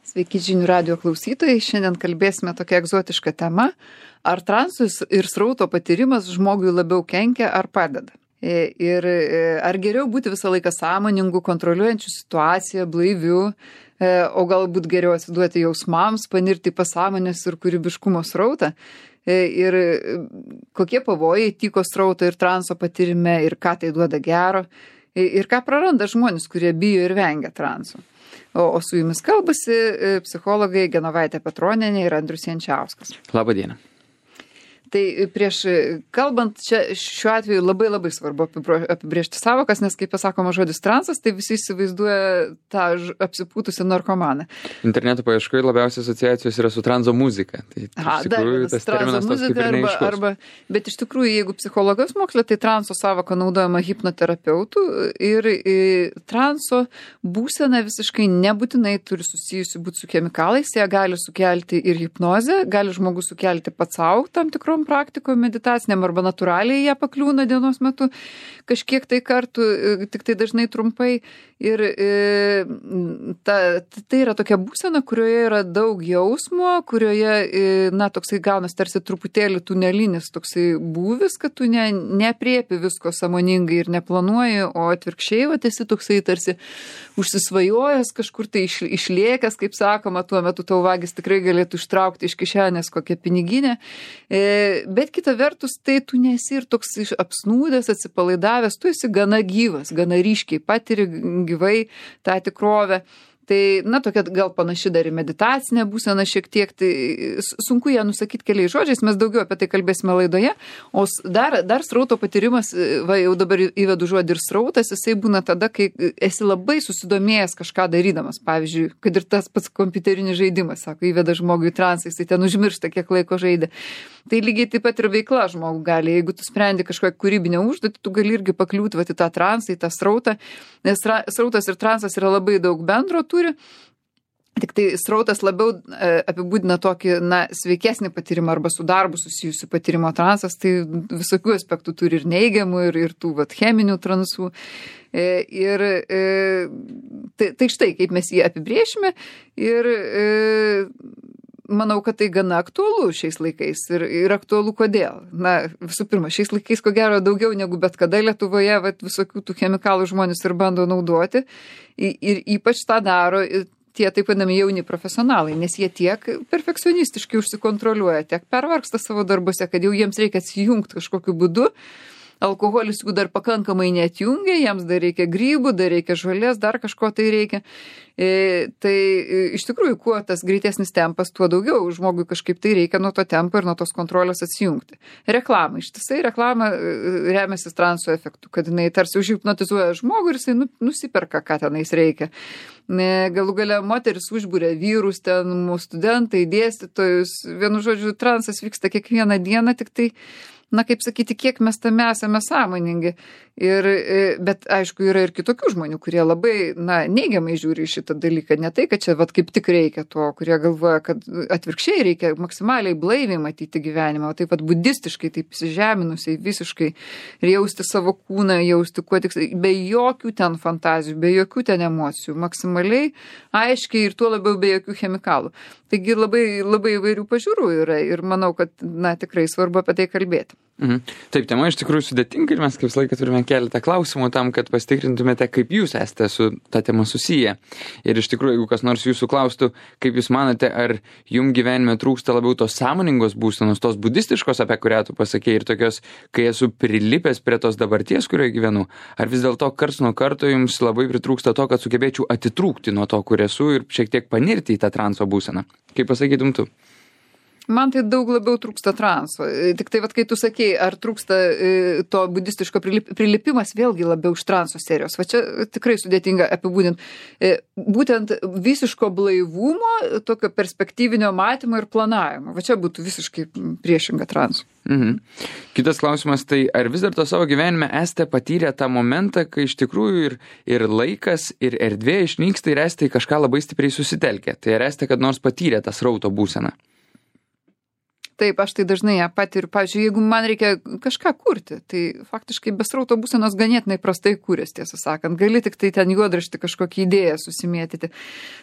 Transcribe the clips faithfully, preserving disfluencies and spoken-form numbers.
Sveiki žinių radijo klausytojai, šiandien kalbėsime tokią egzotišką temą, ar transus ir srauto patyrimas žmogui labiau kenkia ar padeda. Ir ar geriau būti visą laiką sąmoningu, kontroliuojančiu situaciją, blaiviu, o galbūt geriau atsiduoti jausmams, panirti pasąmonės ir kūrybiškumo srautą. Ir kokie pavojai tyko srauto ir transo patyrime ir ką tai duoda gero. Ir ką praranda žmonės, kurie bijo ir vengia transo. O, o su jumis kalbasi psichologai Genovaitė Petronienė ir Andrius Jančiauskas. Labą dieną. Tai prieš kalbant, čia šiuo atveju labai labai svarbu apibrėžti savokas, nes kaip pasakoma žodis transas, tai visi įsivaizduoja tą apsipūtusią narkomaną. Interneto paieškoje labiausiai asociacijos yra su transo muzika. Tai Aha, iš tikrųjų tas terminas toks kaip ir neaiškus. Arba, bet iš tikrųjų, jeigu psichologijos moksle, tai transo savoka naudojama hipnoterapeutų ir, ir transo būsena visiškai nebūtinai turi susijusi būti su chemikalais, jie gali sukelti ir hipnozę, gali žmogus sukelti pats savo tam tikrom praktikoje meditaciniam arba natūraliai jie pakliūna dienos metu kažkiek tai kartų, tik tai dažnai trumpai. Ir e, ta, tai yra tokia būsena, kurioje yra daug jausmo, kurioje, e, na, toksai gaunas tarsi truputėlį tunelinis toksai būvis, kad tu ne, nepriepi visko sąmoningai ir neplanuoji, o atvirkščiai, va, esi toksai tarsi užsisvajojęs, kažkur tai iš, išlėkęs, kaip sakoma, tuo metu tau vagis tikrai galėtų ištraukti iš kišenės kokią piniginę. E, bet kita vertus, tai tu nesi ir toks apsnūdęs, atsipalaidavęs, tu esi gana gyvas, gana ryškiai patiri gyvai tą tikrovę. Tai, na, tokia gal panaši dar į meditacinę būseną šiek tiek, tai sunku ją nusakyti keliais žodžiais, mes daugiau apie tai kalbėsime laidoje, o dar, dar srauto patyrimas, va, jau dabar įvedu žodį ir srautas, jisai būna tada, kai esi labai susidomėjęs kažką darydamas, pavyzdžiui, kad ir tas pats kompiuterinis žaidimas, sako, įveda žmogui į transą, jisai ten užmiršta, kiek laiko žaidė. Tai lygiai taip pat ir veikla žmogų gali, jeigu tu sprendi kažkokią kūrybinę užduotį, tu gali irgi pakliūti va, į tą transą, į tą srautą, nes srautas ir transas yra labai daug bendro turi, tik tai srautas labiau e, apibūdina tokį, na, sveikesnį patyrimą arba su darbu susijusių patyrimo transas, tai visokių aspektų turi ir neigiamų, ir, ir tų vat, cheminių transų. E, ir e, tai, tai štai, kaip mes jį apibrėšime ir e, manau, kad tai gana aktualu šiais laikais ir, ir aktualu kodėl. Na, visų pirma, šiais laikais ko gero daugiau negu bet kada Lietuvoje vat, visokių tų chemikalų žmonės ir bando naudoti ir, ir ypač tą daro tie taip vadinami jauni profesionalai, nes jie tiek perfekcionistiškai užsikontroliuoja, tiek pervargsta savo darbuose, kad jau jiems reikia atsijungti kažkokiu būdu. Alkoholis jų dar pakankamai neatjungia, jiems dar reikia grybų, dar reikia žolės, dar kažko tai reikia. E, tai e, iš tikrųjų, kuo tas greitesnis tempas, tuo daugiau žmogui kažkaip tai reikia nuo to tempo ir nuo tos kontrolės atsijungti. Reklama, ištisai reklama e, remiasi transo efektu, kad jinai tarsi užhipnotizuoja žmogų ir jisai nu, nusiperka, ką tenais reikia. E, galų gale moteris užbūrė vyrus, ten mūsų studentai, dėstytojus, vienu žodžiu, transas vyksta kiekvieną dieną, tik tai na, kaip sakyti, kiek mes tame esame sąmoningi. Ir, bet, aišku, yra ir kitokių žmonių, kurie labai, na, neigiamai žiūri į šitą dalyką. Ne tai, kad čia, vat, kaip tik reikia to, kurie galvoja, kad atvirkščiai reikia maksimaliai blaiviai matyti gyvenimą, o taip pat budistiškai, taip įsižeminusiai visiškai ir jausti savo kūną, jausti kuo tik, be jokių ten fantazijų, be jokių ten emocijų, maksimaliai, aiškiai ir tuo labiau be jokių chemikalų. Taigi labai, labai įvairių pažiūrų yra ir manau, kad, na, tikrai svarbu apie tai kalbėti. Mhm. Taip, tema iš tikrųjų sudėtinga ir mes kaip visą laiką turime keletą klausimų tam, kad pasitikrintumėte, kaip jūs esate su ta tema susiję. Ir iš tikrųjų, jeigu kas nors jūsų klaustų, kaip jūs manote, ar jum gyvenime trūksta labiau tos sąmoningos būsenos, tos budistiškos, apie kurią tu pasakei, ir tokios, kai esu prilipęs prie tos dabarties, kurioje gyvenu, ar vis dėlto karts nuo karto jums labai pritrūksta to, kad sugebėčiau atitrūkti nuo to, kur esu ir šiek tiek panirti į tą transo būseną. Kaip pasakytum tu? Man tai daug labiau trūksta transo. Tik tai, vat, kai tu sakei, ar trūksta e, to budistiško prilip, prilipimas, vėlgi labiau iš transo serijos. Va čia tikrai sudėtinga apibūdinti. E, būtent visiško blaivumo, tokio perspektyvinio matymo ir planavimo. Va čia būtų visiškai priešinga transo. Mhm. Kitas klausimas, tai ar vis dar to savo gyvenime esate patyrę tą momentą, kai iš tikrųjų ir, ir laikas, ir erdvė išnyksta ir esate į kažką labai stipriai susitelkę. Tai ar esate kad nors patyrę tą srauto būseną? Taip, aš tai dažnai ją patiriu. Pavyzdžiui, jeigu man reikia kažką kurti, tai faktiškai be srauto būsenos ganėtinai prastai kūrės, tiesą sakant. Gali tik tai ten juodraštį kažkokį idėją susimėtyti.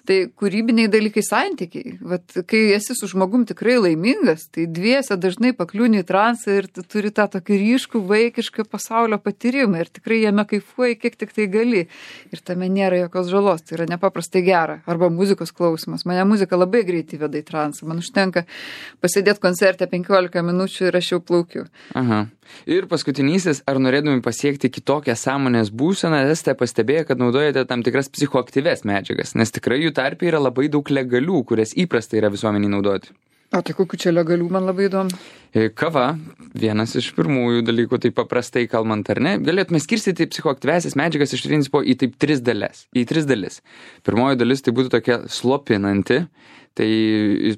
Tai kūrybiniai dalykai santykiai. Vat, kai esi su žmogum tikrai laimingas, tai dviese dažnai pakliūni į transą ir tu turi tą tokį ryškų, vaikišką pasaulio patyrimą ir tikrai jame kaifuoji, kiek tik tai gali. Ir tame nėra jokios žalos, tai yra nepaprastai gera. Arba muzikos klausimas. Mane muzika labai greitai veda į transą. Man užtenka pasėdėti koncerte penkiolika minučių ir aš jau plaukiu. Aha. Ir paskutinysis, ar norėdami pasiekti kitokią sąmonės būseną, esate pastebėję, kad naudojate tam tikras psichoaktyves medžiagas, nes tikrai jų tarpe yra labai daug legalių, kurias įprastai yra visuomeniai naudoti. O tai kokių čia legalių, man labai įdomu. Kava, vienas iš pirmųjų dalykų, tai paprastai kalbant, ar ne, galėtume skirstyti psichoaktyvesias medžiagas iš principo į taip tris dalis. Į tris dalis. Pirmoji dalis tai būtų tokia slopinanti. Tai...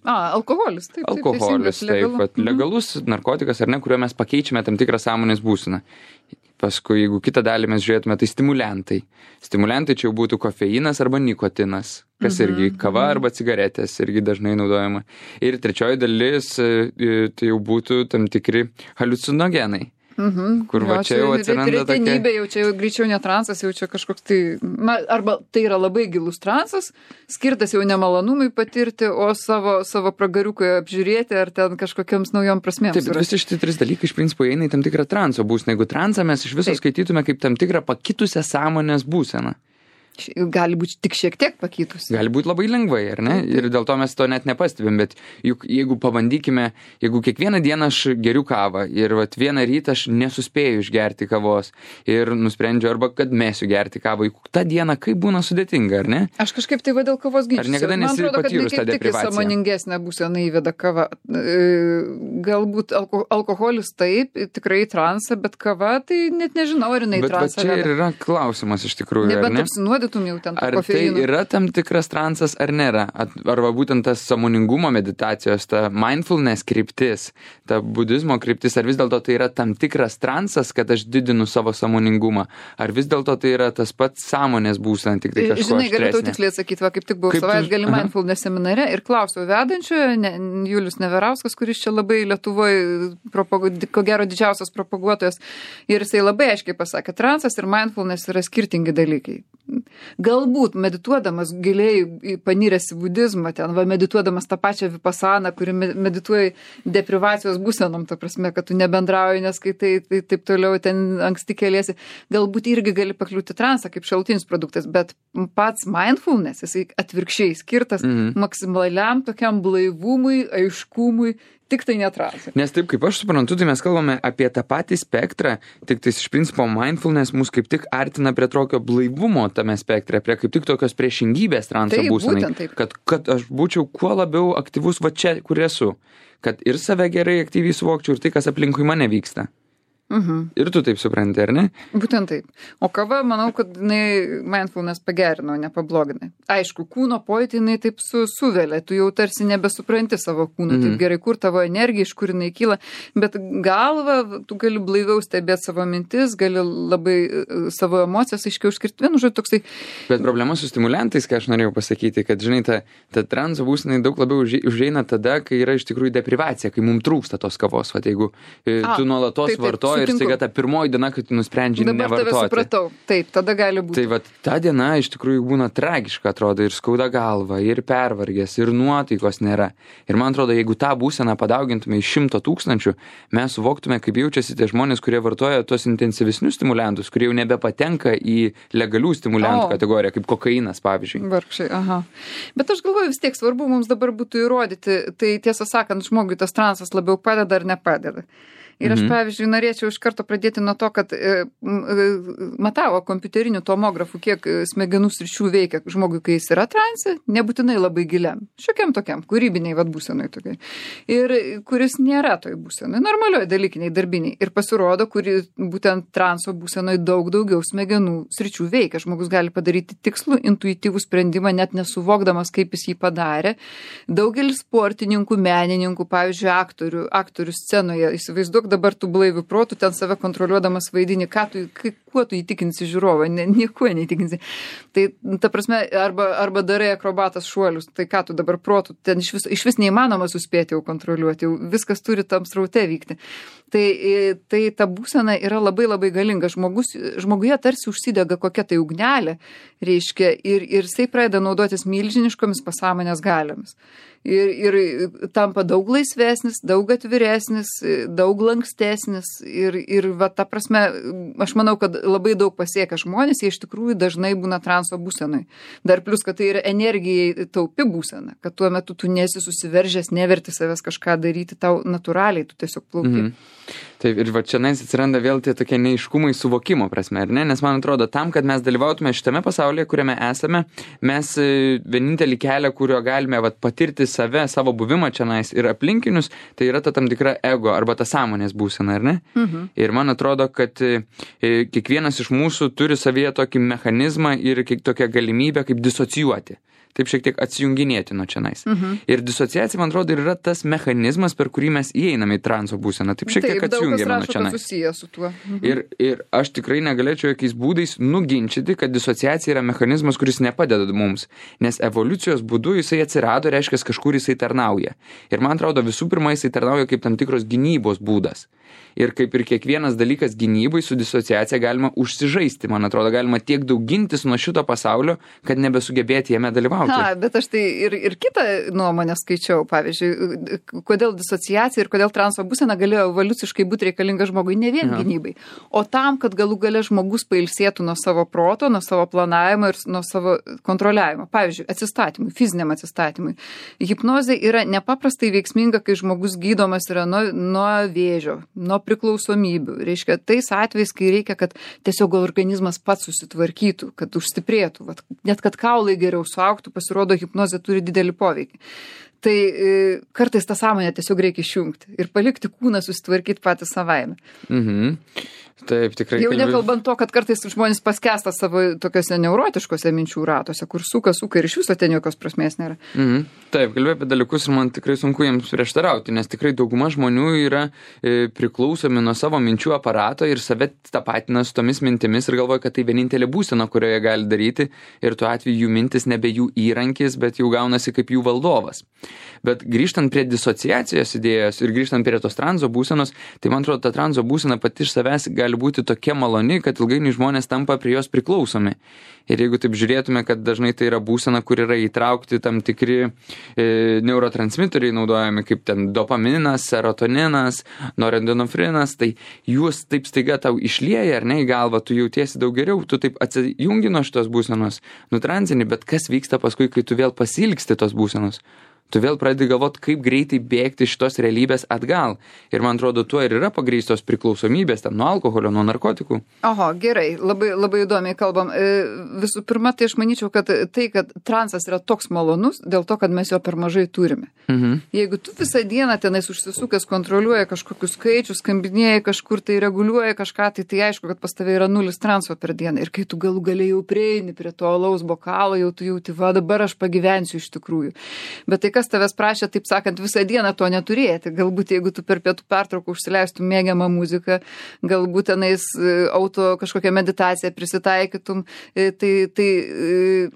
A, alkoholis, taip. Alkoholis, taip, taip, taip legalus narkotikas, ar ne, kuriuo mes pakeičiame tam tikrą sąmonės būseną. Paskui, jeigu kitą dalį mes žiūrėtume, tai stimuliantai. Stimuliantai čia jau būtų kofeinas arba nikotinas, kas irgi kava arba cigaretės irgi dažnai naudojama. Ir trečioji dalis, tai jau būtų tam tikri haliucinogenai. Mhm. Kur va čia jau atsiranda tokia... Retenybė, jau čia jau greičiau ne transas, jau čia kažkoks tai... Na, arba tai yra labai gilus transas, skirtas jau nemalonumui patirti, o savo, savo pragariuką apžiūrėti ar ten kažkokiams naujom prasmėms. Taip, visi šitie trys dalykai iš principo eina į tam tikrą transo būseną. Jeigu transą mes iš viso Taip. skaitytume kaip tam tikrą pakitusią sąmonės būseną. Gali būti tik šiek tiek pakitus. Gali būti labai lengvai, ar ne? Ir dėl to mes to net nepastebim, bet juk jeigu pabandykime, jeigu kiekvieną dieną aš geriu kavą ir vat vieną rytą aš nesuspėju išgerti kavos ir nusprendžiu arba kad mesiu gerti kavą, juk tą dieną kaip būna sudėtinga, ar ne? Aš kažkaip tai va dėl kavos ginčiuosi. Ar niekada nesi patyrus tą deprivaciją? Sąmoningesnė būsena įveda kava. Galbūt alko, alkoholis taip, tikrai transą, bet kava tai net nežinau, ar jinai transą. Bet čia ir yra klausimas iš tikrųjų, ar ne? Jau ten ar kofeinu. Tai yra tam tikras transas ar nėra? Arba būtent tas sąmoningumo meditacijos, ta mindfulness kryptis, ta budizmo kryptis, ar vis dėlto tai yra tam tikras transas, kad aš didinu savo sąmoningumą? Ar vis dėlto tai yra tas pats sąmonės būsena, tik tai kažko Žinai, galiu tau aštresnė? tiksliai atsakyti, va, kaip tik buvau savaitgalį mindfulness seminare ir klausiau vedančiojo, ne, Julius Neverauskas, kuris čia labai Lietuvoje, propagu, ko gero didžiausias propaguotojas, ir jisai labai aiškiai pasakė, transas ir mindfulness yra skirtingi dalykai. Galbūt medituodamas giliai paniręs į budizmą, ten, va, medituodamas tą pačią vipasaną, kuri medituoja deprivacijos būsenom, ta prasme, kad tu nebendrauji, neskaitai, tai taip toliau ten anksti keliesi, galbūt irgi gali pakliūti transą kaip šalutinis produktas, bet pats mindfulness, jisai atvirkščiai skirtas mm-hmm. maksimaliam tokiam blaivumui, aiškumui, tik tai netransą. Nes taip, kaip aš suprantu, tai mes kalbame apie tą patį spektrą, tik tai iš principo mindfulness mus kaip tik artina prie tokio blaivumo tame spektre, prie kaip tik tokios priešingybės transo būsenai. Kad, kad aš būčiau kuo labiau aktyvus va čia, kur esu. Kad ir save gerai aktyviai suvokčiau ir tai, kas aplinkui mane vyksta. Mhm. Ir tu taip supranti, ar ne? Būtent taip. O kava, manau, kad jinai mindfulness pagerino, nepablogina. Aišku, kūno pojūtį jinai taip su, suvelia, tu jau tarsi nebesupranti savo kūno, mhm. taip gerai, kur tavo energija, iš kur jinai kyla, bet galva, tu gali blaiviau stebėti savo mintis, gali labai savo emocijas aiškiau išskirti. Vienu žodžiu, toksai. Bet problema su stimuliantais, ką aš norėjau pasakyti, kad, žinai, ta, ta transo būsenai daug labiau užeina tada, kai yra iš tikrųjų deprivacija, kai mums trūksta tos kavos. Vat, jeigu A, tu nuolatos vartoji ir staiga ta pirmoji diena, kai tu nusprendži Dabar nevartoti. Dabar tave supratau. Taip, tada gali būti. Tai vat, ta diena iš tikrųjų būna tragiška, atrodo, ir skauda galva, ir pervargęs, ir nuotaikos nėra. Ir man atrodo, jeigu tą būseną padaugintume iš šimto tūkstančių, mes suvoktume, kaip jaučiasi tie žmonės, kurie vartoja tos intensyvesnius stimuliantus, kurie jau nebepatenka į legalių stimuliantų o. kategoriją, kaip kokainas, pavyzdžiui. Vargšai, aha. Bet aš galvoju, vis tiek svarbu mums dabar būtų įrodyti, tai tiesą sakant, žmogui tas transas labiau padeda ar nepadeda. Ir aš, pavyzdžiui, norėčiau iš karto pradėti nuo to, kad e, e, matavo kompiuterinių tomografų, kiek smegenų sričių veikia žmogui, kai jis yra transe, nebūtinai labai giliam, šiokiam tokiam, kūrybiniai vat būsenai tokiai. Ir kuris nėra toj būsenai, normalioj dalykiniai, darbiniai. Ir pasirodo, kuri būtent transo būsenai daug daugiau smegenų sričių veikia. Žmogus gali padaryti tikslų, intuityvų sprendimą, net nesuvokdamas, kaip jis jį padarė. Daugelis sportininkų, menininkų, pavyzdžiui, aktorių, aktorių scenoje, įsivaizduok, dabar tu blaivių protų ten save kontroliuodamas vaidini, ką tu, kaip, niekuo tu įtikinsi žiūrovą, ne, niekuo neįtikinsi. Tai, ta prasme, arba, arba darai akrobatas šuolius, tai ką tu dabar protų, ten iš vis, iš vis neįmanoma suspėti jau kontroliuoti, jau viskas turi tam sraute vykti. Tai, tai ta būsena yra labai labai galinga. Žmogus, žmoguje tarsi užsidega kokia tai ugnelė, reiškia, ir, ir jisai pradeda naudotis milžiniškomis pasąmonės galiomis. Ir, ir tampa daug laisvesnis, daug atviresnis, daug lankstesnis ir, ir va, ta prasme, aš manau, kad labai daug pasiekia žmonės, jie iš tikrųjų dažnai būna transo būsenai. Dar plus, kad tai yra energijai taupi būsena, kad tuo metu tu nesi susiveržęs, neverti savęs kažką daryti, tau natūraliai, tu tiesiog plauki. Mhm. Taip, ir va čia nais atsiranda vėl tie tokie neiškumai suvokimo prasme, ar ne? Nes man atrodo, tam, kad mes dalyvautume šitame pasaulyje, kuriame esame, mes vienintelį kelią, kurio galime vat, patirti save, savo buvimą čia nais ir aplinkinius, tai yra ta tam tikra ego arba ta sąmonės būsena, ar ne? Mhm. Ir man atrodo, kad e, kiekvienas iš mūsų turi savyje tokį mechanizmą ir tokią galimybę kaip disocijuoti. Taip šiek tiek atsijunginėti nuo čianais. Mhm. Ir disociacija, man atrodo, yra tas mechanizmas, per kurį mes įeiname į transo būseną. Taip šiek tiek Taip, atsijungiame nuo čianais. Taip, susiję su tuo. Mhm. Ir, ir aš tikrai negalėčiau jokiais būdais nuginčyti, kad disociacija yra mechanizmas, kuris nepadeda mums. Nes evoliucijos būdu jisai atsirado, reiškia, kažkur jisai tarnauja. Ir man atrodo, visų pirma, jisai tarnauja kaip tam tikros gynybos būdas. Ir kaip ir kiekvienas dalykas gynybai su disociacija galima užsižaisti. Man atrodo, galima tiek daug gintis nuo šito pasaulio, kad nebesugebėti jame dalyvauti. Na, bet aš tai ir, ir kitą nuomonę skaičiau, pavyzdžiui, kodėl disociacija ir kodėl transo būsena galėjo evoliuciškai būti reikalinga žmogui ne vien ja. gynybai, o tam, kad galų gale žmogus pailsėtų nuo savo proto, nuo savo planavimo ir nuo savo kontroliavimo. Pavyzdžiui, atsistatymui, fiziniam atsistatymui. Hipnozė yra nepaprastai veiksminga, kai žmogus gydomas yra nuo, nuo vėžio, nuo priklausomybių. Reiškia, tais atvejais, kai reikia, kad tiesiog organizmas pats susitvarkytų, kad užstiprėtų, vat, net kad kaulai geriau suaugtų, pasirodo, hipnozė turi didelį poveikį. Tai e, kartais tą sąmonę tiesiog reikia išjungti ir palikti kūną susitvarkyti patį savaime. Mhm. Taip, tikrai. Jau kalbė... nekalbant to, kad kartais žmonės paskęsta savo tokiuose neurotiškose minčių ratuose, kur suka, suka ir iš viso ten jokios prasmės nėra. Mhm. Taip, kalbėjau apie dalykus ir man tikrai sunku jiems prieštarauti, nes tikrai dauguma žmonių yra e, priklausomi nuo savo minčių aparato ir save tapatina su tomis mintimis ir galvoja, kad tai vienintelė būsena, kurioje gali daryti ir tuo atveju jų mintis nebe jų įrankis, bet jau gaunasi kaip jų valdovas. Bet grįžtant prie disociacijos idėjos ir grįžtant prie tos transo būsenos, tai man atrodo, ta transo būsena pati iš savęs gali būti tokia maloni, kad ilgainiui žmonės tampa prie jos priklausomi. Ir jeigu taip žiūrėtume, kad dažnai tai yra būsena, kur yra įtraukti tam tikri e, neurotransmiteriai naudojami, kaip ten dopaminas, serotoninas, norendinofrinas, tai jūs taip staiga tau išlieja, ar ne, į galvą, tu jautiesi daug geriau, tu taip atsijungi nuo šitos būsenos, nutransini, bet kas vyksta paskui, kai tu vėl pasilgsti tos būsenos? Tu vėl pradedi galvoti, kaip greitai bėgti šitos realybės atgal. Ir man atrodo, tuo ir yra pagrįstos priklausomybės, ten nuo alkoholio, nuo narkotikų. Oho, gerai, labai, labai įdomiai kalbam. Visų pirma, tai aš manyčiau, kad tai, kad transas yra toks malonus, dėl to, kad mes jo per mažai turime. Mhm. Jeigu tu visą dieną tenais užsisukęs kontroliuoji kažkokius skaičius, skambinėjai kažkur tai reguliuoji kažką, tai tai aišku, kad pas tave yra nulis transo per dieną. Ir kai tu galų galiai jau prieini prie to alaus bokalo, jau tu jauti, va dabar aš pagyvensiu iš tikrųjų. Bet tai kas tavęs prašė, taip sakant, visą dieną to neturėti. Galbūt jeigu tu per pietų pertrauką užsileistum mėgiamą muziką, galbūt tenais auto kažkokią meditaciją prisitaikytum, tai, tai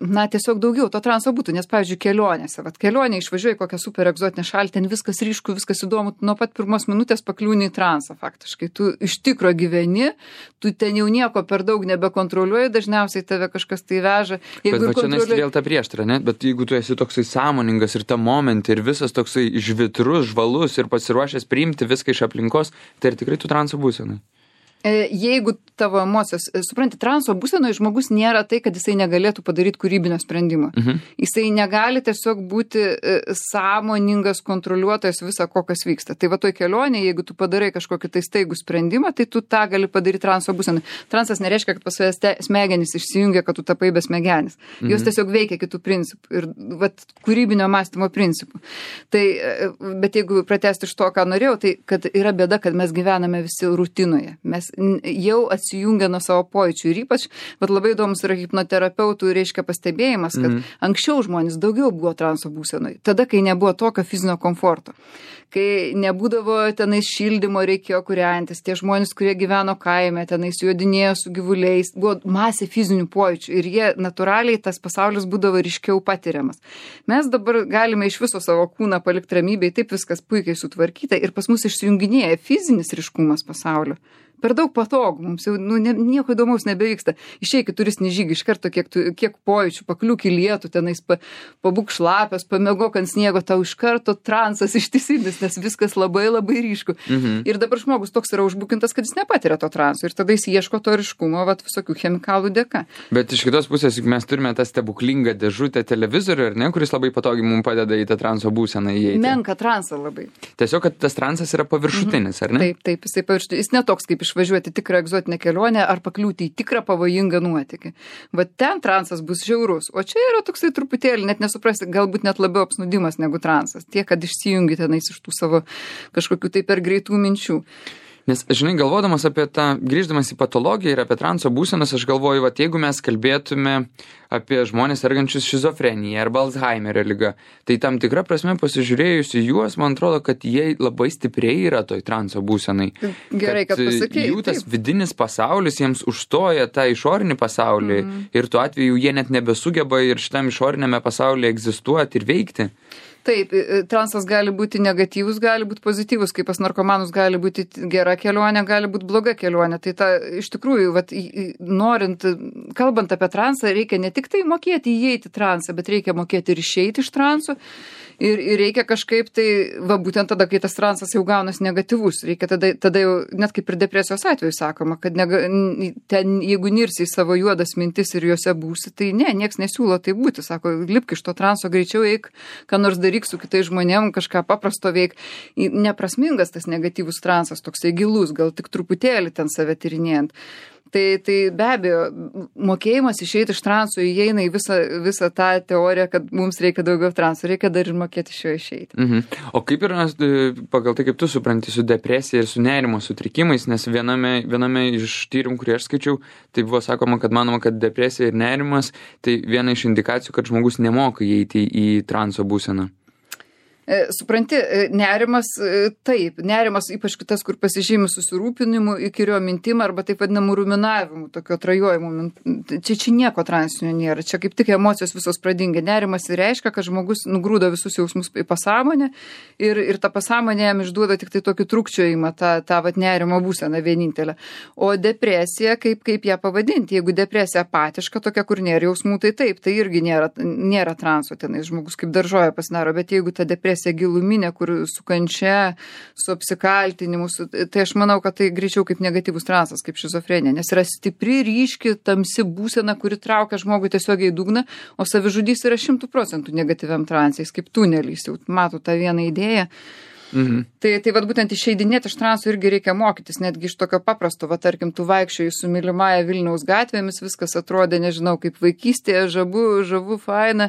na, tiesiog daugiau to transo būtų. Nes, pavyzdžiui, kelionėse, vat kelionė išvažiuoji kokią super egzotinę šalį, ten viskas ryšku, viskas įdomu, nuo pat pirmos minutės pakliūni į transą faktiškai. Tu iš tikro gyveni, tu ten jau nieko per daug nebekontroliuoji, dažniausiai tave kažkas tai veža. Jeigu bet va čia kontroliuoji... nes vėl ta prieštara, ne? Bet jeigu tu esi toksai sąmoningas ir ta momentį ir visas toksai žvitrus, žvalus ir pasiruošęs priimti viską iš aplinkos, tai ir tikrai tu transo būsenai. Jeigu tavo emocijos, supranti, transo būsenoje žmogus nėra tai, kad jisai negalėtų padaryti kūrybinio sprendimo. Mhm. Jisai negali tiesiog būti sąmoningas kontroliuotojas visą, ko kas vyksta. Tai va toj kelionė, jeigu tu padarai kažkokį tai staigų sprendimą, tai tu tą gali padaryti transo būsenai. Transas nereiškia, kad pas savęs smegenys išsijungia, kad tu tapai be smegenis. Mhm. Jos tiesiog veikia kitų principų ir vat, kūrybinio mąstymo principų. Tai, bet jeigu pratesti iš to, ką norėjau, tai kad yra bėda, kad mes gyvename visi rutinoje. Mes žmonės jau atsijungia nuo savo pojūčių ir ypač, bet labai įdomus yra hipnoterapeutų, reiškia pastebėjimas, kad mm. anksčiau žmonės daugiau buvo transo būsenoj, tada, kai nebuvo tokio fizinio komforto, kai nebūdavo tenais šildymo, reikėjo kūrentis, tie žmonės, kurie gyveno kaime, tenais jodinėjo su gyvuliais, buvo masė fizinių pojūčių ir jie natūraliai tas pasaulis būdavo ryškiau patiriamas. Mes dabar galime iš viso savo kūną palikti ramybėj, taip viskas puikiai sutvarkyta ir pas mus išsijunginėja fizinis ryškumas pasaulio. Per daug patogų, mums jau nu, ne, nieko įdomaus nebevyksta. Išeik į turistinį žygį, iš karto kiek, tu, kiek pojūčių, pakliūk į lietų, tenais pa, pabūk šlapios, pamiegok ant sniego, tau iš karto transas ištisinis, nes viskas labai labai ryšku. Mhm. Ir dabar žmogus toks yra užbukintas, kad jis nepatiria to transo ir tada jis ieško to ryškumo, vat, visokių chemikalų dėka. Bet iš kitos pusės, juk mes turime tą stebuklingą dėžutę televizorių, ar ne, kuris labai patogiai mums padeda į tą transo būseną įeiti. Menka transą labai. Tiesiog, kad tas transas yra paviršutinis, ar ne? Taip, taip, jisai paviršutinis. Jis netoks kaip išvažiuoti tikrą egzotinę kelionę ar pakliūti į tikrą pavojingą nuotykį. Bet ten transas bus žiaurus, o čia yra toksai truputėlį, net nesuprasi, galbūt net labiau apsnūdimas negu transas. Tiek, kad išsijungi tenais iš tų savo kažkokių tai per greitų minčių. Nes, žinai, galvodamas apie tą, grįždamas į patologiją ir apie transo būsenas, aš galvoju, va, jeigu mes kalbėtume apie žmonės sergančius šizofreniją arba Alzheimerio liga, tai tam tikra prasme pasižiūrėjus į juos, man atrodo, kad jie labai stipriai yra toj transo būsenai. Gerai, kad, kad pasakėjai. Jų tas taip. Vidinis pasaulis jiems užstoja tą išorinį pasaulį mm. ir tuo atveju jie net nebesugeba ir šitam išorinėme pasaulyje egzistuoti ir veikti. Taip, transas gali būti negatyvus, gali būti pozityvus, kaip pas narkomanus gali būti gera kelionė, gali būti bloga kelionė. Tai ta, iš tikrųjų, vat, norint, kalbant apie transą, reikia ne tik tai mokėti įeiti transą, bet reikia mokėti ir išeiti iš transo. Ir, ir reikia kažkaip tai, va būtent tada, kai tas transas jau gaunas negatyvus, reikia tada, tada jau, net kaip ir depresijos atveju sakoma, kad nega, ten, jeigu nirsi į savo juodas mintis ir juose būsi, tai ne, nieks nesiūlo tai būti, sako, lipk iš to transo, greičiau eik, ką nors daryk su kitais žmonėm, kažką paprasto veik. Neprasmingas tas negatyvus transas, toksai gilus, gal tik truputėlį ten save tyrinėjant. Tai, tai be abejo, mokėjimas išeiti iš transo įeina į visą, visą tą teoriją, kad mums reikia daugiau transo, reikia dar ir mokėti iš jo išeiti. Mhm. O kaip yra pagal tai, kaip tu supranti, su depresija ir su nerimo sutrikimais, nes viename, viename iš tyrimų, kurį aš skaičiau, tai buvo sakoma, kad manoma, kad depresija ir nerimas tai viena iš indikacijų, kad žmogus nemoka įeiti į transo būseną. Supranti, nerimas, taip, nerimas ypač kitas, kur pasižymi susirūpinimu, įkyrio mintim arba taip vadinamų ruminavimu, tokio trajojimų. Čia, čia nieko transinio nėra, čia kaip tik emocijos visos pradingia. Nerimas reiškia, kad žmogus nugrūdo visus jausmus į pasąmonę ir, ir ta pasąmonė jam išduoda tik tai tokį trukčiojimą, tą, tą vat, nerimo būseną vienintelę. O depresija, kaip, kaip ją pavadinti, jeigu depresija apatiška, tokia, kur nėra jausmų, tai taip, tai irgi nėra, nėra transo tenais, žmogus kaip daržoja pasidaro, bet jeigu ta depresija giluminė, kur su kančia, su apsikaltinimu, su, tai aš manau, kad tai greičiau kaip negatyvus transas, kaip šizofrenija, nes yra stipri, ryški, tamsi būsena, kuri traukia žmogui tiesiog į dugną, o savižudys yra šimtų procentų negatyviam transais, kaip tunelis, jau mato tą vieną idėją. Mhm. Tai, tai vat būtent išeidinėti iš transo irgi reikia mokytis, netgi iš tokio paprasto, va tarkim, tu vaikščioji su mylimąja Vilniaus gatvėmis, viskas atrodė, nežinau, kaip vaikystėje, žabu, žavu, faina,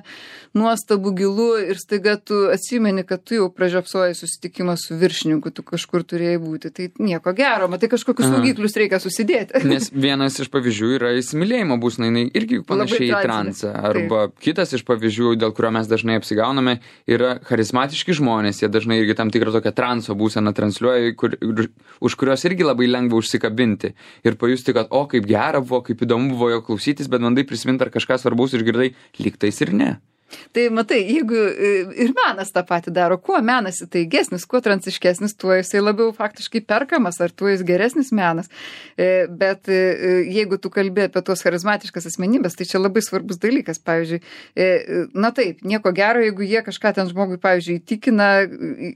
nuostabu, gilu ir staiga tu atsimeni, kad tu jau pražiopsojai susitikimą su viršininku, tu kažkur turėjai būti. Tai nieko gero, matai kažkokius saugiklius reikia susidėti. Nes vienas iš pavyzdžių yra įsimylėjimo būsena, jinai irgi panašiai į transą. Arba taip. Kitas iš pavyzdžių, dėl kurio mes dažnai apsigauname, yra charizmatiški žmonės, jie dažnai irgi tam tikrą tokią transo būseną transliuoja, kur, už kurios irgi labai lengva užsikabinti ir pajusti, kad o, kaip gera buvo, kaip įdomu buvo jo klausytis, bet bandai prisiminti, ar kažką svarbaus išgirdai, lyg tais ir ne. Tai matai, jeigu ir menas tą patį daro, kuo menas įtaigesnis, kuo transiškesnis, tuo jisai labiau faktiškai perkamas, ar tuo jis geresnis menas. Bet jeigu tu kalbė apie tuos charizmatiškas asmenybės, tai čia labai svarbus dalykas. Pavyzdžiui, na taip, nieko gero, jeigu jie kažką ten žmogui, pavyzdžiui, įtikina,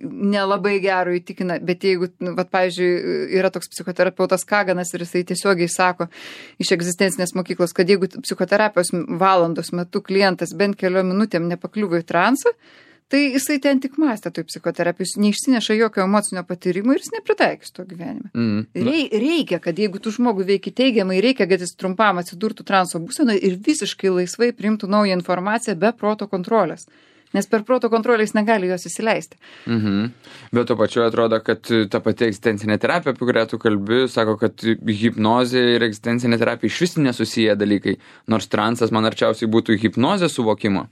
nelabai gero įtikina, bet jeigu, vat, pavyzdžiui, yra toks psichoterapeutas Kaganas ir jisai tiesiogiai sako iš egzistencinės mokyklos, kad jeigu psichoterapijos valandos metu klientas bent keliom minutėm nepakliuvo į transą, tai jisai ten tik mąstė toj psichoterapijos, neišsineša jokio emocinio patyrimo ir jis nepritaikys to gyvenime. Mm. Rei, reikia, kad jeigu tu žmogų veiki teigiamai, reikia, kad jis trumpam atsidurtų transo būsenoje ir visiškai laisvai priimtų naują informaciją be proto kontrolės. nes per proto kontrolę jis negali jos įsileisti. Mhm. Bet to pačiu atrodo, kad ta pati egzistencinė terapija, apie kurią tu kalbi, sako, kad hipnozė ir egzistencinė terapija iš vis nesusiję dalykai, nors transas man arčiausiai būtų hipnozės suvokimo.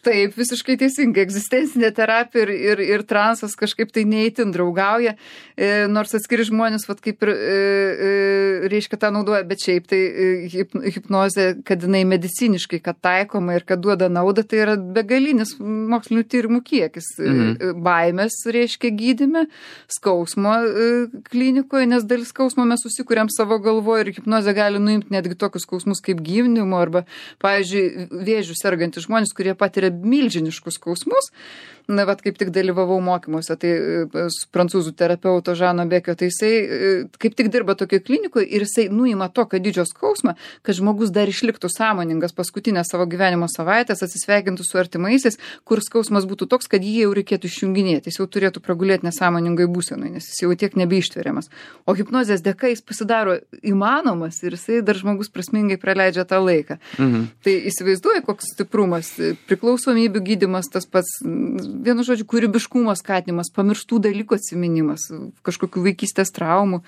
Taip, visiškai teisingai. Egzistencinė terapija ir, ir, ir transas kažkaip tai neįtin draugauja, e, nors atskiri žmonės, vat, kaip ir, e, e, reiškia, tą naudoja, bet šiaip tai hip, hipnozė, kad jinai mediciniškai, kad taikoma ir kad duoda naudą, tai yra begalinis mokslinių tyrimų kiekis. Mhm. Baimės, reiškia, gydyme, skausmo e, klinikoje, nes dalis skausmo mes susikuriam savo galvoje ir hipnozė gali nuimti netgi tokius skausmus kaip gimdymo arba, pavyzdžiui, vėžių sergantys žmonės, kurie patiria milžiniškus skausmus. Na, vat kaip tik dalyvavau mokymuose, tai su prancūzų terapeuto Žano Bekio, tai jisai kaip tik dirba tokioje klinikoje ir jisai nuima tokio didžio skausmą, kad žmogus dar išliktų sąmoningas paskutinę savo gyvenimo savaitės, atsisveikintų su artimaisiais, kur skausmas būtų toks, kad jį jau reikėtų išjunginėti, jis jau turėtų pragulėti nesąmoningai būsenai, nes jis jau tiek nebeištveriamas. O hipnozės dėka jis pasidaro įmanomas ir jisai dar žmogus prasmingai praleidžia tą laiką. Mhm. Tai įsivaizduoja, koks stiprumas, priklausomybių gydymas, tas pats, vienu žodžiu, kūrybiškumo skatinimas, pamirštų dalykų atsiminimas, kažkokių vaikystės traumų.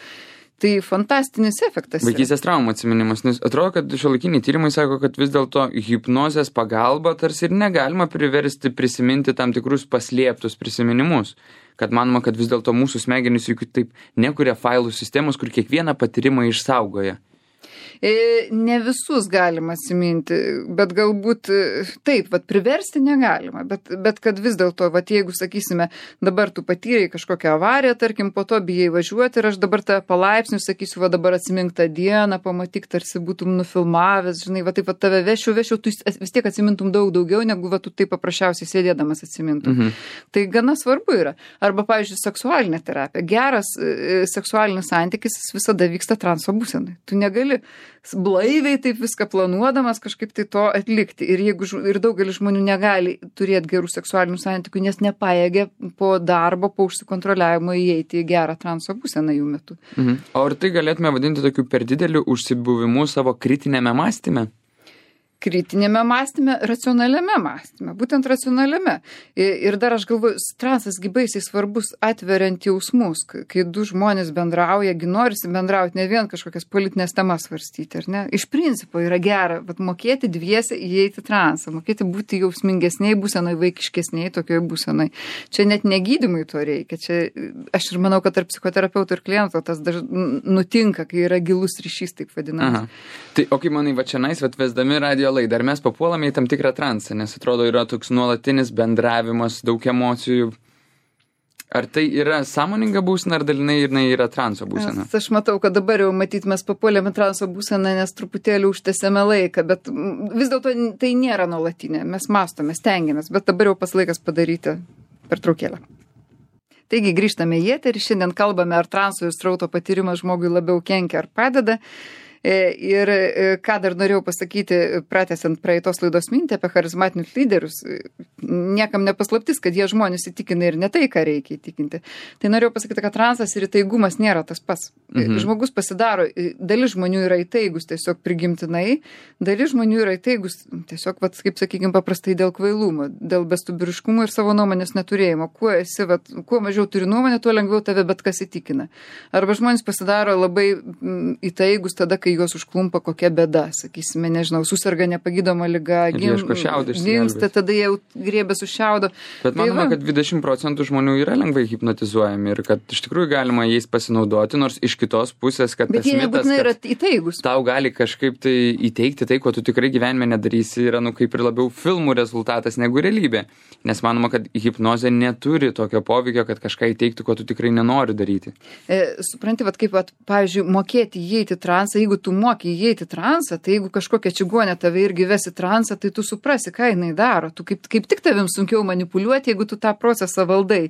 Tai fantastinis efektas. Vaikystės traumų atsiminimas, nes atrodo, kad šiuolaikiniai tyrimai sako, kad vis dėlto hipnozės pagalba tarsi ir negalima priversti prisiminti tam tikrus paslėptus prisiminimus. Kad manoma, kad vis dėlto mūsų smegenys juk taip nekuria failų sistemos, kur kiekvieną patyrimą išsaugoja. Ne visus galima atsiminti, bet galbūt taip, vat priversti negalima, bet, bet kad vis dėlto, vat jeigu, sakysime, dabar tu patyrei kažkokią avariją, tarkim, po to bijai važiuoti ir aš dabar tą palaipsnių sakysiu, va dabar atsimink tą dieną, pamatyk, tarsi būtum nufilmavęs, žinai, va taip va tave vešiu, vešiu, tu vis tiek atsimintum daug daugiau, negu va tu taip paprasčiausiai sėdėdamas atsimintum. Mhm. Tai gana svarbu yra. Arba, pavyzdžiui, seksualinė terapija. Geras e, seksualinis santykis visada vyksta transo būsenai. Tu negali blaiviai taip viską planuodamas kažkaip tai to atlikti. Ir jeigu ir daugelis žmonių negali turėti gerų seksualinių santykių, nes nepajėgia po darbo, po užsikontroliavimo įeiti į gerą transo būseną jų metu. Mhm. O ar tai galėtume vadinti tokiu per dideliu užsibuvimu savo kritinėme mąstyme? Kritinėme mąstyme, racionaliame mąstyme, būtent racionaliame. Ir dar aš galvoju, transas baisiai svarbus atveriant jausmus, kai du žmonės bendrauja, gi norisi bendrauti, ne vien kažkokias politinės temas svarstyti, ar ne? Iš principo yra gera, vat, mokėti dviese įeiti transą, mokėti būti jausmingesniai būsenai, vaikiškesniai tokioje būsenai. Čia net negydymui to reikia. Čia, aš ir manau, kad tarp psichoterapeuto ir kliento tas daž... nutinka, kai yra gilus ryšys, taip vadinamas. Aha. Tai, o kaip manai, va čia nais, vat vesdami radio laidą, ar mes papuolame į tam tikrą transą, nes atrodo yra toks nuolatinis bendravimas, daug emocijų. Ar tai yra sąmoninga būsena, ar dalinai jinai yra transo būsena? Aš matau, kad dabar jau matyt mes papuolėme transo būseną, nes truputėlį užtęsėme laiką, bet vis dėlto tai nėra nuolatinė. Mes mąstome, stengiamės, bet dabar jau pas laikas padaryti pertraukėlę. Taigi grįžtame į eterį, šiandien kalbame, ar transo ir srauto patyrimas žmogui labiau kenkia ar padeda. Ir ką dar norėjau pasakyti, pratęsiant praeitos laidos mintį apie charizmatinius lyderius, niekam nepaslaptis, kad jie žmonės įtikina ir ne tai, ką reikia įtikinti. Tai norėjau pasakyti, kad transas ir įtaigumas nėra tas pats. Mhm. Žmogus pasidaro, dalis žmonių yra įtaigus tiesiog prigimtinai, dalis žmonių yra įtaigus tiesiog, vat, kaip sakykime, paprastai dėl kvailumo, dėl bestubiriškumo ir savo nuomonės neturėjimo. Kuo esi, vat, kuo mažiau turi nuomonę, tuo lengviau tave bet kas įtikina. Arba žmonės pasidaro labai įtaigus tada, kai juos užklumpa kokia bėda, sakysime, nežinau, susirga nepagydoma liga, gimsta, tada jie griebės už šiaudo. Bet manoma, kad dvidešimt procentų žmonių yra lengvai hipnotizuojami ir kad iš tikrųjų galima jais pasinaudoti, nors iš kitos pusės, kad bet tas mitas, kad tau gali kažkaip tai įteikti tai, ko tu tikrai gyvenime nedarysi, yra nu kaip ir labiau filmų rezultatas negu realybė. Nes manoma, kad hipnozė neturi tokio poveikio, kad kažką įteiktų, ko tu tikrai nenori daryti. E, supranti, vat, kaip, vat, pavyzdžiui, mokėti įeiti transą, jeigu tu moki įeiti transą, tai jeigu kažkokia čigonė tave irgi vesi transą, tai tu suprasi, ką jinai daro. Tu kaip, kaip tik tavim sunkiau manipuliuoti, jeigu tu tą procesą valdai.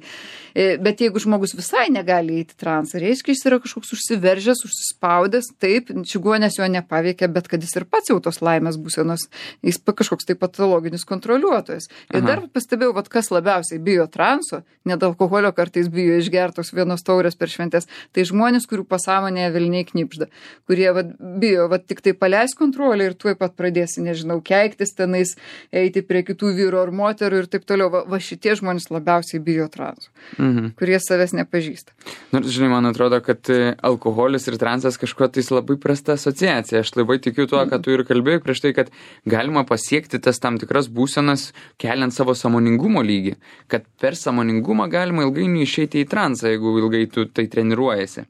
E, bet jeigu žmogus visai negali įeiti transą, reiškia, jis yra kažkoks užsiveržęs, užsispaudęs, taip, čigonės jo nepaveikia, bet kad jis ir pats jau tos laimės būsenos, jis kažkoks tai patologinis kontroliuotojas. Ir Aha. dar pastebėjau, vat, kas labiausiai bijo transo, net alkoholio kartais bijo išgertos vienos taurės per šventės, tai žmonės, kurių pasąmonėje velniai knipžda, kurie vat, bijo, va tik tai paleis kontrolę ir tuoj pat pradėsi, nežinau, keiktis tenais, eiti prie kitų vyro ar moterų ir taip toliau. Va, va šitie žmonės labiausiai bijo transų, mhm. kurie savęs nepažįsta. Nors, žinai, man atrodo, kad alkoholis ir transas kažkuo tais labai prasta asociacija. Aš labai tikiu tuo, kad tu ir kalbėjai prieš tai, kad galima pasiekti tas tam tikras būsenas, keliant savo sąmoningumo lygį. Kad per sąmoningumą galima ilgainiui išeiti į transą, jeigu ilgai tu tai treniruojasi.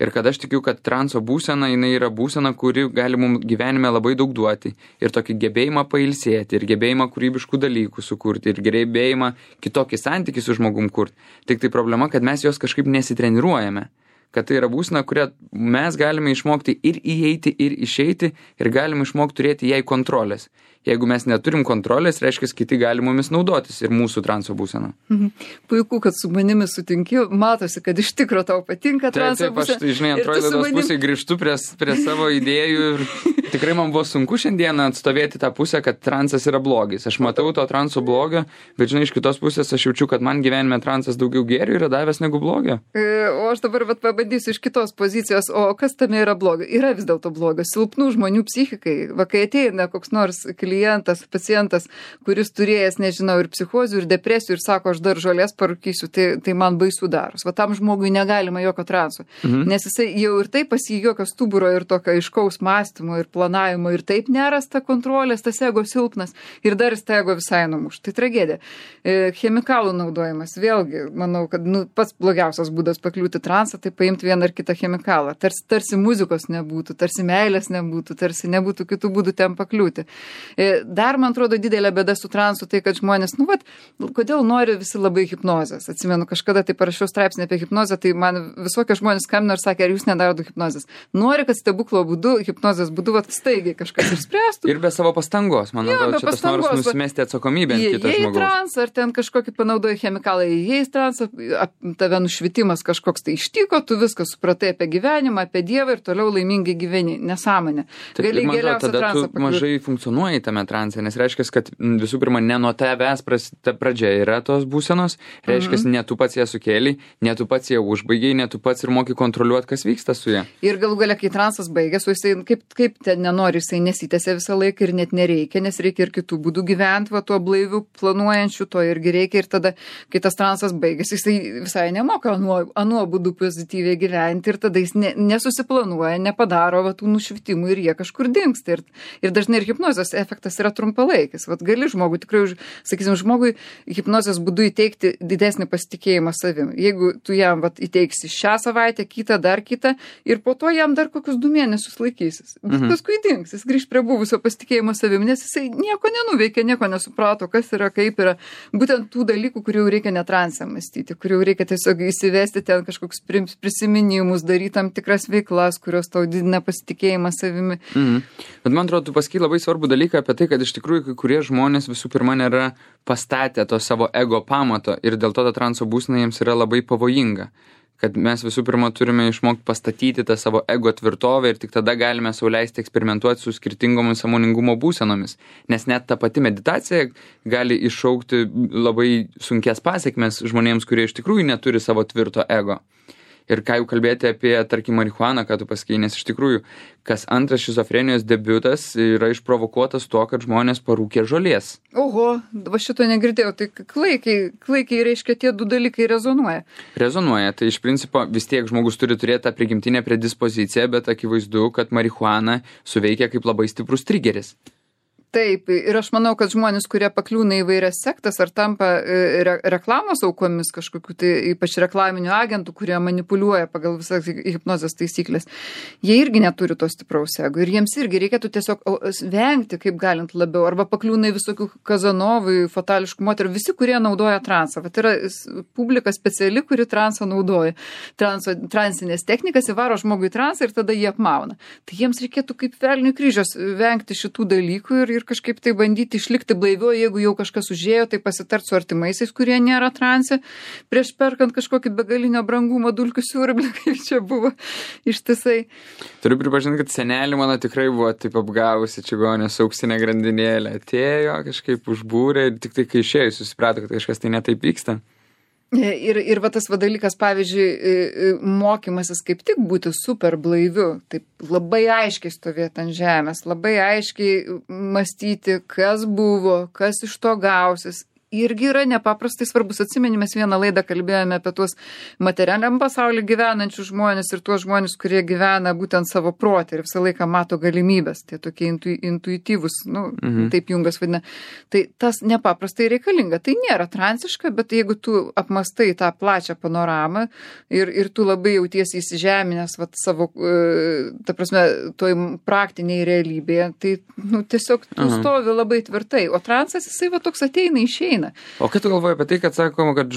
Ir kad aš tikiu, kad transo būsena, jinai yra būsena, kuri gali mums gyvenime labai daug duoti. Ir tokį gebėjimą pailsėti, ir gebėjimą kūrybiškų dalykų sukurti, ir gebėjimą kitokį santykį su žmogum kurti. Tik tai problema, kad mes jos kažkaip nesitreniruojame. Kad tai yra būsena, kurią mes galime išmokti ir įeiti, ir išeiti, ir galime išmokti turėti jai kontrolės. Jeigu mes neturim kontrolės, reiškia, kiti gali mumis naudotis ir mūsų transo būsena. Mhm. Puiku, kad su manimi sutinki, matosi, kad iš tikro tau patinka transo taip, būsena. Taip, aš tai, žinai, antroji laidos manim... pusėje grįžtu prie, prie savo idėjų ir tikrai man buvo sunku šiandieną atstovėti tą pusę, kad transas yra blogis. Aš matau to transo blogio, bet, žinai, iš kitos pusės aš jaučiu, kad man gyvenime transas daugiau gėrių yra davęs negu blogio. O aš dabar vat, pabandysiu iš kitos pozicijos, o kas tame yra blogio? Yra vis dėlto blogio. Silpnų žmonių psichikai, va, kai ateina koks nors klientas, pacientas, kuris turėjęs, nežinau, ir psichozių, ir depresijų, ir sako, aš dar žolės parūkysiu, tai, tai man baisu daros. Va tam žmogui negalima jokio transo. Mhm. Nes jisai jau ir taip pas jį jokio stuburo ir tokio aiškaus mąstymo ir planavimo, ir taip nerasta kontrolės, tas ego silpnas, ir dar jis tą ego visai numuš. Tai tragedija. E, chemikalų naudojimas, vėlgi, manau, kad nu, pats blogiausias būdas pakliūti transą, tai paimti vieną ar kitą chemikalą. Tarsi, tarsi muzikos nebūtų, tarsi meilės nebūtų, tarsi nebūtų kitų būdų ten pakliūti. E, Dar, man atrodo, didelė bėda su transu, tai kad žmonės, nu, vat, kodėl nori visi labai hipnozės. Atsimenu, kažkada tai parašiau straipsnį apie hipnozę, tai man visokie žmonės skambino ir sakė, ar jūs nedarot hipnozės. Nori, kad stebuklo būdu, hipnozės būdu, vat, staigiai kažkas išspręstų. Ir be savo pastangos, man atrodo, čia tas noras nusimesti atsakomybę ant kito žmogaus. Jei trans, ar ten kažkokį panaudoja chemikalai, jei trans, tave nušvitimas kažkoks tai ištiko, tu viską supratai apie gyvenimą, apie Dievą ir toliau laimingai gyveni. Nesąmonė. Taip, Gali geriausią transą pakliūti. Mažai funkcionuoji tame transe, nes reiškia, kad visų pirma, ne nuo tavęs pradžia yra tos būsenos, reiškia, mm-hmm. ne tu pats ją sukėlei, ne tu pats ją užbaigiai, ne tu pats ir moki kontroliuoti, kas vyksta su ją. Ir galų galia, kai transas baigės, jisai kaip, kaip ten nenori, jisai nesitęsia visą laiką ir net nereikia, nes reikia ir kitų būdų gyventi, va tuo blaiviu planuojančiu, to irgi reikia ir tada, kai tas transas baigės, jisai visai nemoka anuo, anuo būdu pozityviai gyventi ir tada jis ne, nesusiplanuoja, nepadaro va tų nušvitimų ir jie kažkur dingsta. Ir, ir dažnai ir hipnozės efektas yra trumpalaikis. Vat gali žmogui, tikrai, sakysim, žmogui hipnozės būdu įteikti didesnį pasitikėjimą savim. Jeigu tu jam vat, įteiksi šią savaitę, kitą, dar kitą, ir po to jam dar kokius du mėnesius laikysis. Bet mhm. paskui dings, jis grįž prie buvusio pasitikėjimo savim, nes jisai nieko nenuveikė, nieko nesuprato, kas yra, kaip yra. Būtent tų dalykų, kurių reikia netranse mąstyti, kurių reikia tiesiog įsivesti ten kažkokius prisiminimus, daryti tam tikras veiklas, kurios tau didina pasitikėjimą savimi. Mhm. Bet man atrodo, tu pasakei labai svarbų dalyką apie tai, kad iš tikrųjų kai kurie žmonės visų pirma nėra pastatę to savo ego pamato ir dėl to ta transo būsena jiems yra labai pavojinga. Kad mes visų pirma turime išmokti pastatyti tą savo ego tvirtovę ir tik tada galime sau leisti eksperimentuoti su skirtingomis sąmoningumo būsenomis. Nes net ta pati meditacija gali iššaukti labai sunkias pasekmes žmonėms, kurie iš tikrųjų neturi savo tvirto ego. Ir ką jau kalbėti apie, tarkim, marihuaną, ką tu pasakei, nes iš tikrųjų, kas antras šizofrenijos debiutas yra išprovokuotas tuo, kad žmonės parūkė žolės. Oho, va šito negirdėjau, tai klaikiai, klaikiai reiškia tie du dalykai rezonuoja. Rezonuoja, tai iš principo vis tiek žmogus turi turėti tą prigimtinę predispoziciją, bet akivaizdu, kad marihuana suveikia kaip labai stiprus trigeris. Taip, ir aš manau, kad žmonės, kurie pakliūna į vairias sektas ar tampa re reklamos aukomis kažkokiu, tai ypač reklaminių agentų, kurie manipuliuoja pagal visas hipnozės taisyklės, jie irgi neturi to stipraus ego ir jiems irgi reikėtų tiesiog vengti, kaip galint labiau, arba pakliūna į visokių kazanovų, fatališkų moterų, visi, kurie naudoja transą. Vat yra publika speciali, kuri transą naudoja. Transo, transinės technikas įvaro žmogui transą ir tada jie apmauna. Tai jiems reikėtų kaip velnių kryžios vengti šitų dalykų ir, ir kažkaip tai bandyti išlikti blaiviau, jeigu jau kažkas užėjo, tai pasitart su artimaisiais, kurie nėra transe, prieš perkant kažkokį begalinio brangumo dulkių siurblį, kaip čia buvo ištisai. Turiu pripažinti, kad senelį mano tikrai buvo taip apgavusi čigonės auksinė grandinėlė. Atėjo, kažkaip užbūrė ir tik tai kai išėjo, susiprato, kad kažkas tai netaip vyksta. Ir, ir va tas va dalykas, pavyzdžiui, mokymasis kaip tik būti super blaiviu, taip labai aiškiai stovėti ant žemės, labai aiškiai mąstyti, kas buvo, kas iš to gausis. Irgi yra nepaprastai svarbus. Atsimeni, mes vieną laidą kalbėjome apie tuos materialiam pasaulyje gyvenančius žmonės ir tuos žmonės, kurie gyvena būtent savo protį ir visą laiką mato galimybės. Tai tokie intu, intuityvus, nu, mhm. taip Jungas vadina. Tai tas nepaprastai reikalinga. Tai nėra transiška, bet jeigu tu apmastai tą plačią panoramą ir, ir tu labai jautiesi įsižeminęs vat, savo, ta prasme, toj praktiniai realybėje, tai nu, tiesiog tu mhm. stovi labai tvirtai. O transas, jisai va toks ateina, išeina. O ką tu galvoji apie tai, kad sakoma, kad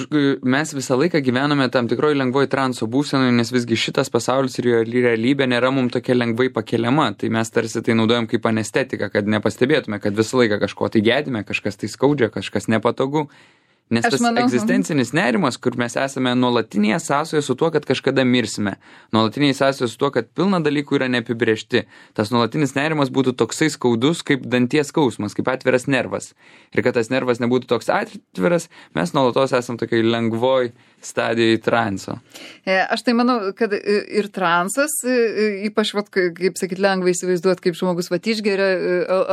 mes visą laiką gyvename tam tikroji lengvoji transo būsenoje, nes visgi šitas pasaulis ir jo realybė nėra mums tokia lengvai pakeliama. Tai mes tarsi tai naudojam kaip anestetiką, kad nepastebėtume, kad visą laiką kažko tai gedime, kažkas tai skaudžia, kažkas nepatogu. Nes tas manau, egzistencinis nerimas, kur mes esame nuolatinėje sąsoje su tuo, kad kažkada mirsime. Nuolatinėje sąsoje su tuo, kad pilna dalykų yra neapibrėžti. Tas nuolatinis nerimas būtų toksai skaudus, kaip danties skausmas, kaip atviras nervas. Ir kad tas nervas nebūtų toks atviras, mes nuolatos esam tokiai lengvoj stadijai transo. Aš tai manau, kad ir transas, ypač, vat, kaip sakyt, lengvai įsivaizduot, kaip žmogus vat išgeria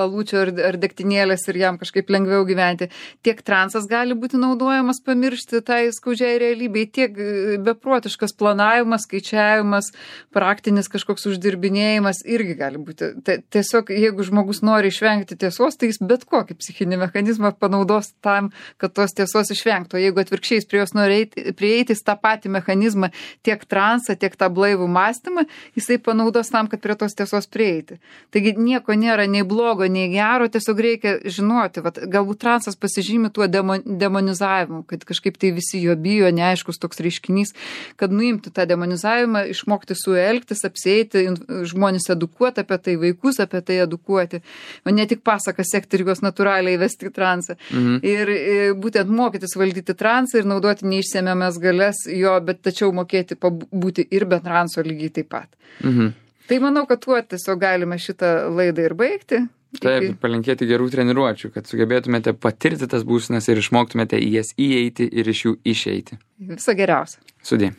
alučio ar, ar degtinėlės ir jam kažkaip lengviau gyventi. Tiek transas gali būti naudojamas pamiršti tai skaudžiai realybei, tiek beprotiškas planavimas, skaičiavimas, praktinis kažkoks uždirbinėjimas irgi gali būti. Tiesiog, jeigu žmogus nori išvengti tiesos, tai jis bet kokį psichinį mechanizmą panaudos tam, kad tos tiesos išvengtų. O jeigu atvirkščiai prie jos nori eiti, prieiti tą patį mechanizmą, tiek transą, tiek tą blaivų mąstymą, jisai panaudos tam, kad prie tos tiesos prieiti. Taigi nieko nėra nei blogo, nei gero, tiesiog reikia žinoti, vat, galbūt transas pasižymi tuo demon, demonizavimu, kad kažkaip tai visi jo bijo, neaiškus toks reiškinys, kad nuimti tą demonizavimą, išmokti su juo elgtis, apsieiti, žmonės edukuoti apie tai, vaikus apie tai edukuoti, o ne tik pasaką sekti ir juos natūraliai vesti į transą. Mhm. Ir, ir būtent mokytis valdyti transą ir naudoti neišsemiamą galės jo, bet tačiau mokėti būti ir be transo lygiai taip pat. Mhm. Tai manau, kad tuo tiesiog galime šitą laidą ir baigti. Taip, iki... palinkėti gerų treniruočių, kad sugebėtumėte patirti tas būsenas ir išmoktumėte į jas įeiti ir iš jų išeiti. Viso geriausio. Sudie.